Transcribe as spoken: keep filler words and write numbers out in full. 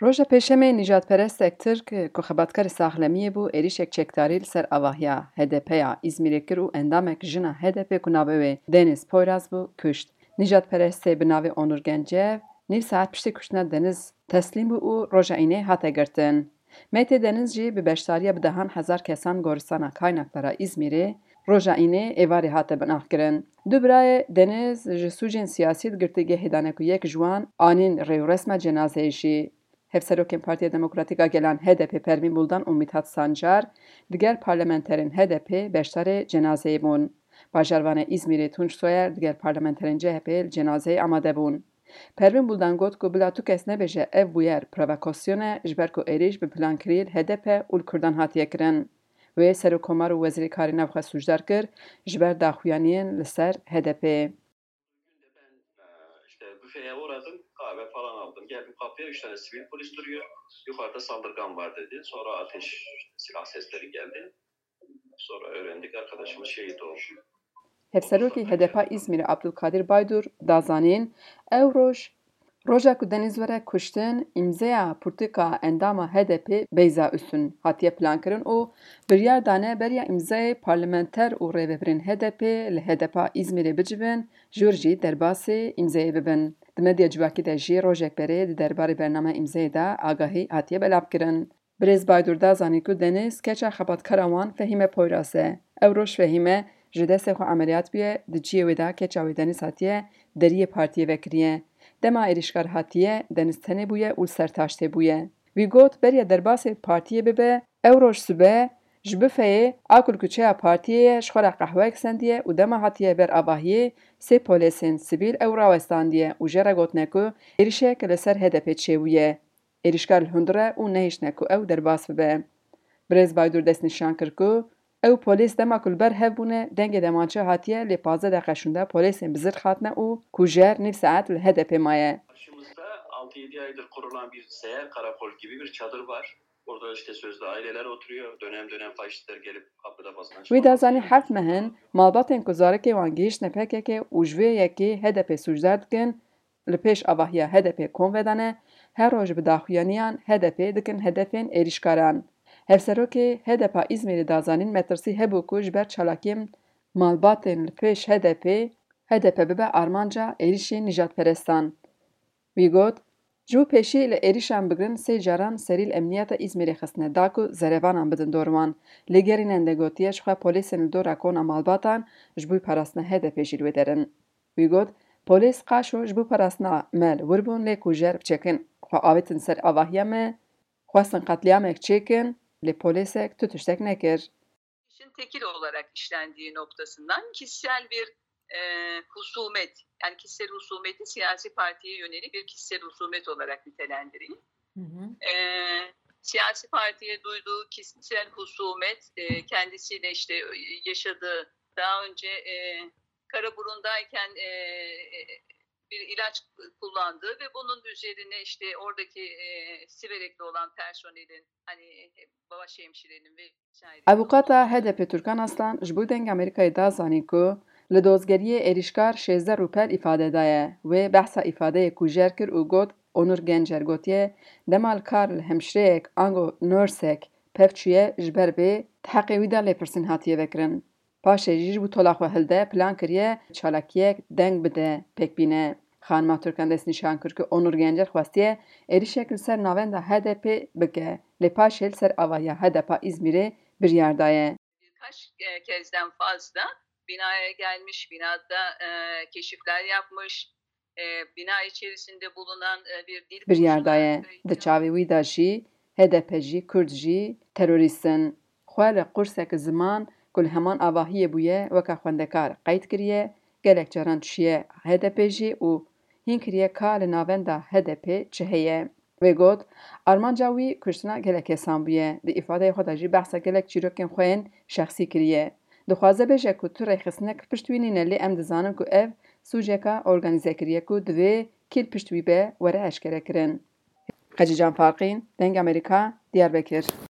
Roja Pêşemê nîjadperestek Tirk ku xebatkarê saxlemiyê bû, êrişek çekdarî li ser avahiya H D P ya Îzmîrê kir û endamek jina H D P ku navê wê Deniz Poyraz bû, kuşt. Nîjadperestê bi navê Onur Gencev nîv saet piştî kuştina Deniz teslîm bû û roja Înê hate girtin. Meytê Deniz jî bi beşdariya bi dehan hezar kesan goristana Kaynakdara Îzmîrê roja Înê êvarê hate binaxkirin. Du birayê Deniz ji sûcên siyasî di girtîgehê de ne ku yek ji wan anîn rêwresma cenazeyê jî. Hevserokên Partiya Demokratîk a Gelan H D P Pervîn Buldan û Mithat Sancar digel parlamenterên H D P beşdarê cenazeyê bûn. Bajarvanê Îzmîrê Tunç Soyer digel parlamenterên C H P li cenazeyê amade bûn. Pervîn Buldan got ku bila tu kes nebêje ev bûyer provokasyon e, ji ber ku êrîş bi plan kirî li H D P û li Kurdan hatiye kirin. Wê Serokkomar û Wezîrê Karê Navxwe sûcdar kir ji ber daxuyaniyên li ser H D P. Gün de ben e, işte büfeye uğradım, kahve falan aldım. Geldim kapıya, üç tane sivil polis duruyor. Yukarıda saldırgan var dedi. Sonra ateş, işte silah sesleri geldi. Sonra öğrendik, arkadaşımız şehit oldu. Hevserokê H D P Îzmîrê Abdulkadir Baydur da zanîn, ew roj, roja ku Deniz were kuştin, îmzeya pirtûka endama H D P Beyza Üstün hatiye plankirin û biryar dane beriya îmzayê parlamenter û rêvebirên H D P li H D P Îzmîrê bicivin, jor jî derbasê îmzeyê bibin. Di medya civakî de jî rojek berê di derbarê bername îmzeyê de agahî hatiye belavkirin. Birêz Baydur da zanî ku Deniz keça xebatkara wan Fehîme Poyraz e. Ew roj Fehîme ji destê xwe emeliyat bûye, di cihê wê de keça wê Deniz hatiye deriyê partiyê vekiriye. Dema êrîşkar hatiye, Deniz tenê bûye û li ser taştê bûye. Wî got, beriya derbasê partiyê bibe, ew roj sibe ji bifeyê a ku li kuçeya partiyê ye, ji xwe re qehweyek sendiye û dema hatiye ber avahiyê, sê polêsên sivîl ew rawestandiye û jê re gotine ku êrîşek li ser H D P çêbûye. Êrîşkar li hundir e û nehiştine ku ew derbas bibe. Birêz Baydur destnîşan kir ku ew polês dema ku li ber hev bûne, dengê demançe hatiye, lê pazdeh deqe şûnde polêsên bi zirh hatine û kujer nîv saet li H D P maye. Karşımızda altı yedi aydır kurulan bir seyyar karakol gibi bir çadır var. Orada işte sözde aileler oturuyor. Dönem dönem faşistler gelip kapıda basın. Wî da zanî heft meh in malbatên ku zarokê wan gihîştine P K K û ji vê yekê H D P sûcdar dikin, li pêş avahiya H D P kom vedane, her roj bi daxuyaniyan H D P dikin hedefên êrîşkaran. Hevserokê H D P Îzmîrê da zanîn metirsî hebû ku ji ber çalakiyên malbatên li pêş H D P, H D P bibe armanca êrîşên nîjadperestan. Wî got, ji bo pêşî li êrîşan bigirin sê caran serî li emniyeta Îzmîrê xistine da ku zerevanan bidin dor wan. Lê gerînende gotiye ji xwe polêsên li dora kona malbatan ji bo parastina H D P jî li wê der in. Wî got, polês qaşo ji bo parastina me li wir bûn, lê kujer biçekin xwe avêtin ser avahiya me, xwestin qetlîamek çêkin, lê polêsek tu tiştek nekir. İşin tekil olarak işlendiği noktasından kişisel bir e, husumet, yani kişisel husumeti siyasi partiye yönelik bir kişisel husumet olarak nitelendireyim. E, siyasi partiye duyduğu kişisel husumet e, kendisiyle işte yaşadığı, daha önce e, Karaburun'dayken e, bir ilaç kullandığı ve bunun üzerine işte oradaki e, Siverekli olan personelin, hani baş hemşirenin ve Avûkata H D P Turkan Aslan ji bo Dengê Amerîkayê da zanîn ku li dozgeriyê êrîşkar şêzdeh rûpel îfade daye. Wê behsa îfadeyê kujer kir û got, Onur Gencer gotiye, dema li kar li hemşireyek ango nursek pev çûye, ji ber vê di heqê wî de lêpirsîn hatiye vekirin. Paşê jî ji bo tola xwe hilde, plan kiriye çalakiyek deng bide pêk bîne. Xanima Turkan destnîşan kir ku Onur Gencer xwestiye êrîşek li ser navenda H D P bike, lê paşê li ser avahiya H D P Îzmîrê biryar daye. Birkaç e, kezden fazla binaya gelmiş, binada e, keşifler yapmış, e, bina içerisinde bulunan e, bir dil Biryar kursuna daye. Di çavê wî de jî H D P jî, Kurd jî terorîst in. Xwe li qursek ziman ku li heman avahiyê bûye weke xwendekar qeyd kiriye, gelek caran çûye H D P jî û hîn kiriye ka li navenda H D P çi heye. Wê got, armanca wî kuştina gelek kesan bûye. Di îfadeyê xwe de jî behsa gelek çîrokên xwe yên şexsî kiriye. Dixwaze bêje ku tu rêxistinek pişt wî nîne, lê em dizanin ku ev sûceka organîze kiriye ku divê kî li pişt wî be were eşkerekirin. Qecîcan Farqîn, Dengê Amerîka, Diyarbekir.